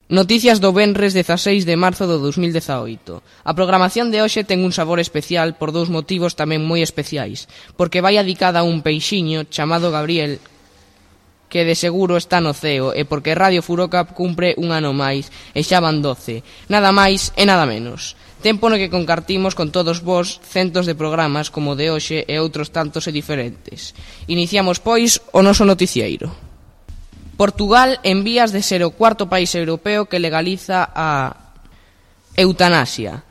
Noticias do venres 16 de marzo do 2018. A programación de hoxe ten un sabor especial por dous motivos tamén moi especiais, porque vai adicada a un peixiño chamado Gabriel, que de seguro está no ceo, e porque Radio Furoca cumpre un ano máis, e xa van 12, nada máis e nada menos. Tempo no que compartimos con todos vós centos de programas como o de hoxe e outros tantos e diferentes. Iniciamos, pois, o noso noticieiro. Portugal en vías de ser o cuarto país europeo que legaliza a eutanasia.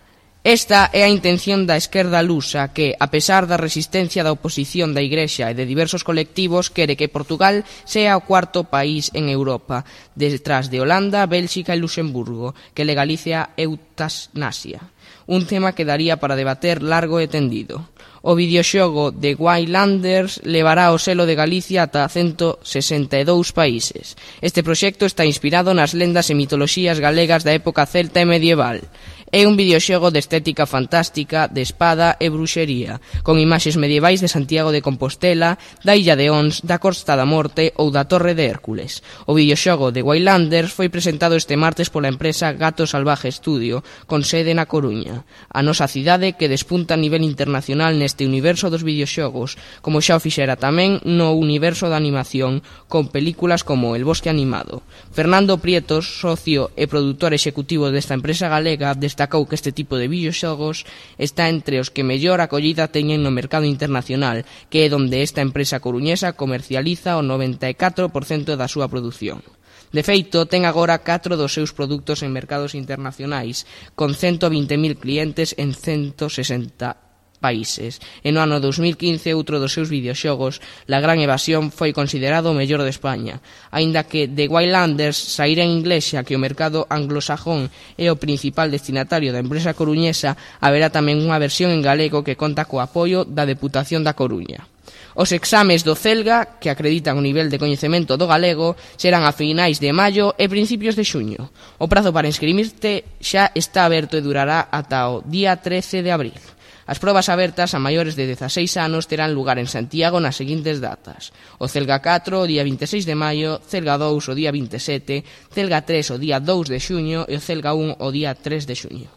Esta é a intención da esquerda lusa que, a pesar da resistencia da oposición da Igrexa e de diversos colectivos, quere que Portugal sea o cuarto país en Europa, detrás de Holanda, Bélxica e Luxemburgo, que legalice a eutanasia. Un tema que daría para debater largo e tendido. O videoxogo de Wildlanders levará o selo de Galicia ata 162 países. Este proxecto está inspirado nas lendas e mitoloxías galegas da época celta e medieval. É un videoxogo de estética fantástica, de espada e bruxería, con imaxes medievais de Santiago de Compostela, da Illa de Ons, da Costa da Morte ou da Torre de Hércules. O videoxogo de Wildlanders foi presentado este martes pola empresa Gato Salvaje Studio, con sede na Coruña. A nosa cidade que despunta a nivel internacional neste universo dos videoxogos, como xa o fixera tamén no universo da animación, con películas como El Bosque Animado. Fernando Prietos, socio e produtor executivo desta empresa galega, destacou que este tipo de videoxogos está entre os que mellor acollida teñen no mercado internacional, que é onde esta empresa coruñesa comercializa o 94% da súa produción. De feito, ten agora 4 dos seus produtos en mercados internacionais, con 120.000 clientes en 160 países. E no ano 2015, outro dos seus videoxogos, La Gran Evasión, foi considerado o mellor de España. Aínda que The Wildlanders saíra en inglés, xa que o mercado anglosajón é o principal destinatario da empresa coruñesa, haberá tamén unha versión en galego que conta co apoio da Deputación da Coruña. Os exames do CELGA, que acreditan o nivel de coñecemento do galego, serán a finais de maio e principios de xuño. O prazo para inscribirte xa está aberto e durará ata o día 13 de abril. As probas abertas a maiores de 16 anos terán lugar en Santiago nas seguintes datas: o Celga 4 o día 26 de maio, Celga 2 o día 27, Celga 3 o día 2 de xuño e o Celga 1 o día 3 de xuño.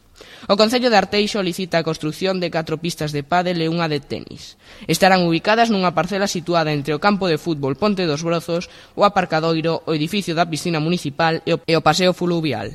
O Concello de Arteixo licita a construción de 4 pistas de pádel e unha de tenis. Estarán ubicadas nunha parcela situada entre o campo de fútbol Ponte dos Brozos, o aparcadoiro, o edificio da piscina municipal e o paseo fluvial.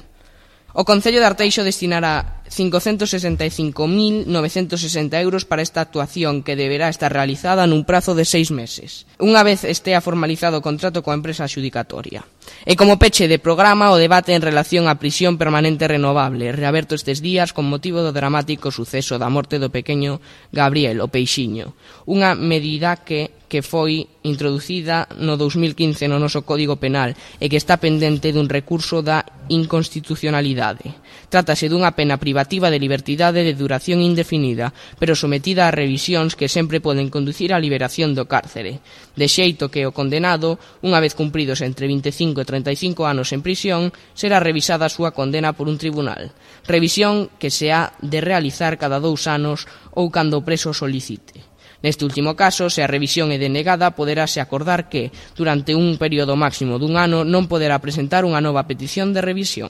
O Concello de Arteixo destinará 565.960 euros para esta actuación, que deberá estar realizada nun prazo de 6 meses, unha vez estea formalizado o contrato coa empresa adxudicatoria. E como peche de programa, o debate en relación á prisión permanente renovable, reaberto estes días con motivo do dramático suceso da morte do pequeno Gabriel, o peixiño, unha medida que foi introducida no 2015 no noso Código Penal e que está pendente dun recurso da inconstitucionalidade. Trátase dunha pena privativa de libertidade de duración indefinida, pero sometida a revisións que sempre poden conducir á liberación do cárcere, de xeito que o condenado, unha vez cumpridos entre 25 e 35 anos en prisión, será revisada a súa condena por un tribunal. Revisión que se ha de realizar cada 2 anos ou cando o preso solicite. Neste último caso, se a revisión é denegada, poderase acordar que, durante un período máximo dun ano, non poderá presentar unha nova petición de revisión.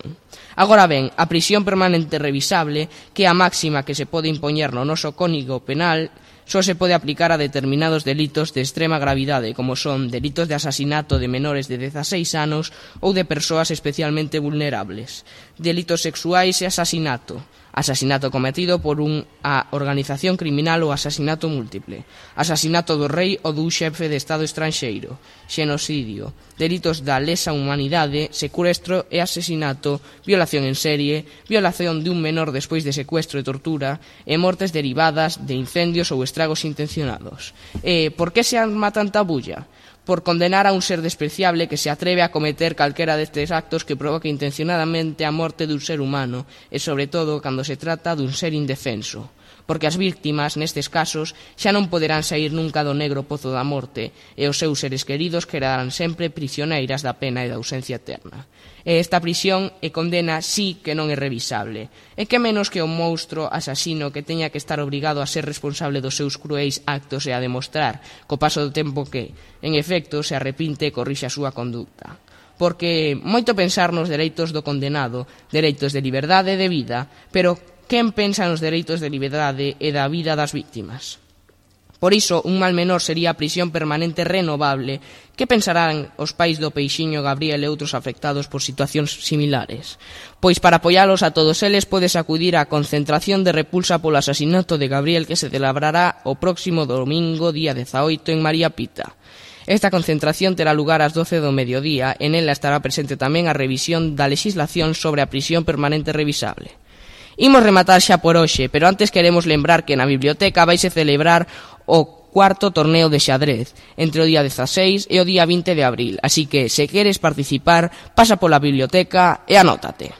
Agora ben, a prisión permanente revisable, que é a máxima que se pode impoñer no noso Código Penal, só se pode aplicar a determinados delitos de extrema gravidade, como son delitos de asasinato de menores de 16 anos ou de persoas especialmente vulnerables, delitos sexuais e asasinato cometido por unha organización criminal ou asasinato múltiple, asasinato do rei ou dun xefe de Estado estranxeiro, xenocidio, delitos da lesa humanidade, secuestro e asesinato, violación en serie, violación de un menor despois de secuestro e tortura, e mortes derivadas de incendios ou estragos intencionados. E por que se arma tanta bulla? Por condenar a un ser despreciable que se atreve a cometer calquera destes actos que provoque intencionadamente a morte dun ser humano, e sobre todo cando se trata dun ser indefenso. Porque as víctimas, nestes casos, xa non poderán saír nunca do negro pozo da morte, e os seus seres queridos quedarán sempre prisioneiras da pena e da ausencia eterna. E esta prisión e condena sí que non é revisable. E que menos que o monstro asasino que teña que estar obrigado a ser responsable dos seus cruéis actos e a demostrar, co paso do tempo que, en efecto, se arrepinte e corrixe a súa conducta. porque moito pensar nos dereitos do condenado, dereitos de liberdade e de vida, pero quen pensa nos dereitos de liberdade e da vida das víctimas? Por iso, un mal menor sería a prisión permanente renovable. Que pensarán os pais do Peixiño Gabriel e outros afectados por situacións similares? Pois para apoialos a todos eles podes acudir á concentración de repulsa polo asasinato de Gabriel que se celebrará o próximo domingo, día 18, en María Pita. Esta concentración terá lugar ás 12 do mediodía e nela estará presente tamén a revisión da lexislación sobre a prisión permanente revisable. Imos rematar xa por hoxe, pero antes queremos lembrar que na biblioteca vaise celebrar o cuarto torneo de xadrez entre o día 16 e o día 20 de abril, así que, se queres participar, pasa pola biblioteca e anótate.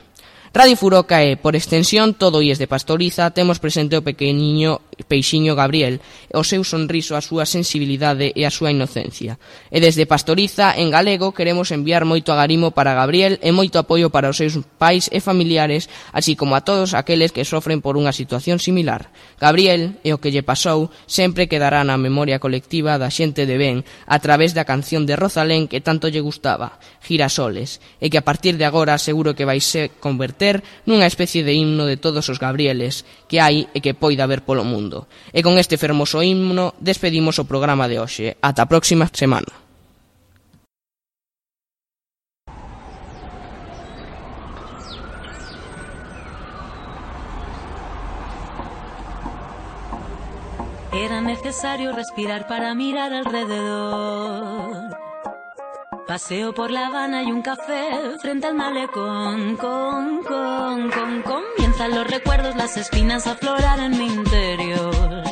Radio Furoca e, por extensión, todo IES de Pastoriza, temos presente o pequeniño Peixiño Gabriel, o seu sonriso, a súa sensibilidade e a súa inocencia. E desde Pastoriza, en galego, queremos enviar moito agarimo para Gabriel e moito apoio para os seus pais e familiares, así como a todos aqueles que sofren por unha situación similar. Gabriel, e o que lle pasou, sempre quedará na memoria colectiva da xente de ben a través da canción de Rosalén que tanto lle gustaba, Girasoles, e que a partir de agora seguro que vai se converter nunha especie de himno de todos os Gabrieles que hai e que poida haber polo mundo. E con este fermoso himno despedimos o programa de hoxe. Ata a próxima semana. Era necesario respirar para mirar alrededor. Paseo por La Habana y un café frente al malecón. Comienzan los recuerdos, las espinas a aflorar en mi interior.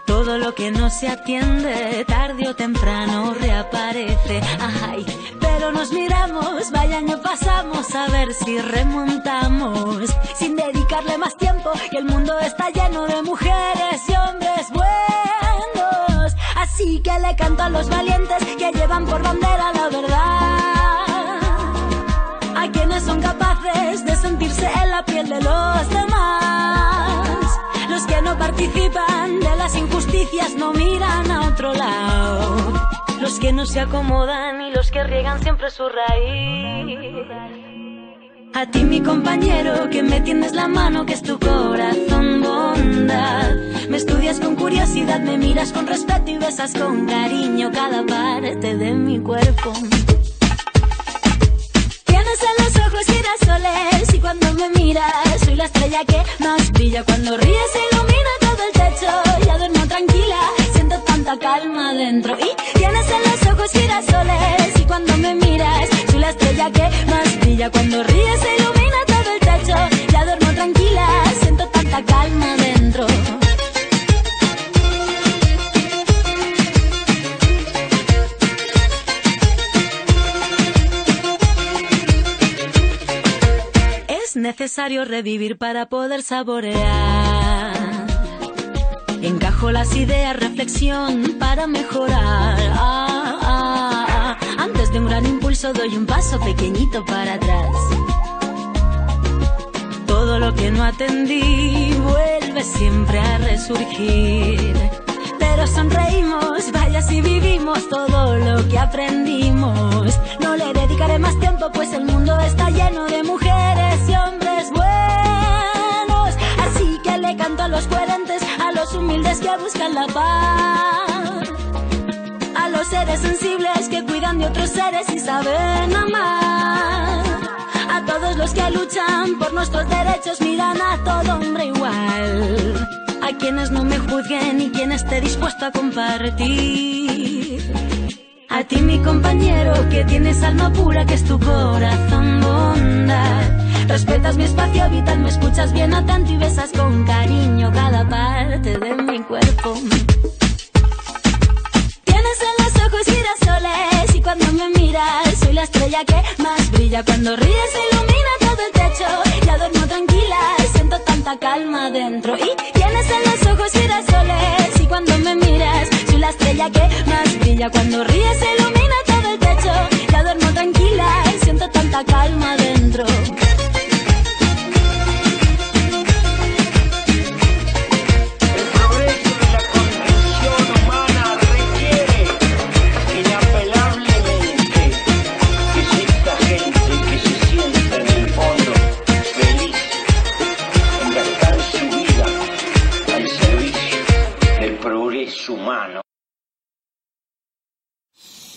Todo lo que no se atiende, tarde o temprano reaparece. Ay, pero nos miramos, vaya año pasamos, a ver si remontamos. Sin dedicarle más tiempo, y el mundo está lleno de mujeres y hombres buenos. Así que le canto a los valientes que llevan por bandera la verdad, a quienes son capaces de sentirse en la piel de los demás. Los que no participan de las injusticias no miran a otro lado. Los que no se acomodan y los que riegan siempre su raíz. A ti, mi compañero, que me tiendes la mano, que es tu corazón bondad. Me estudias con curiosidad, me miras con respeto y besas con cariño cada parte de mi cuerpo. Tienes en los ojos girasoles y cuando me miras soy la estrella que más brilla. Cuando ríes se ilumina todo el techo, ya duermo tranquila, siento tanta calma dentro. Y tienes en los ojos girasoles y cuando me miras soy la estrella que más brilla. Cuando ríes se ilumina todo el techo, ya duermo tranquila, siento tanta calma dentro. Es necesario revivir para poder saborear. Encajo las ideas, reflexión para mejorar. Antes de un gran impulso doy un paso pequeñito para atrás. Todo lo que no atendí vuelve siempre a resurgir. Pero sonreímos, vaya si vivimos todo lo que aprendimos. No le dedicaré más tiempo, pues el mundo está lleno de mujeres y hombres buenos. Así que le canto a los coherentes, a los humildes que buscan la paz, a los seres sensibles que cuidan de otros seres y saben amar, a todos los que luchan por nuestros derechos, miran a todo hombre igual, a quienes no me juzguen y quien esté dispuesto a compartir. A ti, mi compañero, que tienes alma pura, que es tu corazón bondad. Respetas mi espacio vital, me escuchas bien atento y besas con cariño cada parte de mi cuerpo. Tienes en los ojos girasoles y cuando me miras soy la estrella que más brilla. Cuando ríes se ilumina todo el techo, ya duermo tranquila, siento tanta calma dentro. Y tienes en los ojos girasoles y cuando me miras soy la estrella que más brilla. Cuando ríes se ilumina todo el techo, ya duermo tranquila, siento tanta calma dentro. humano.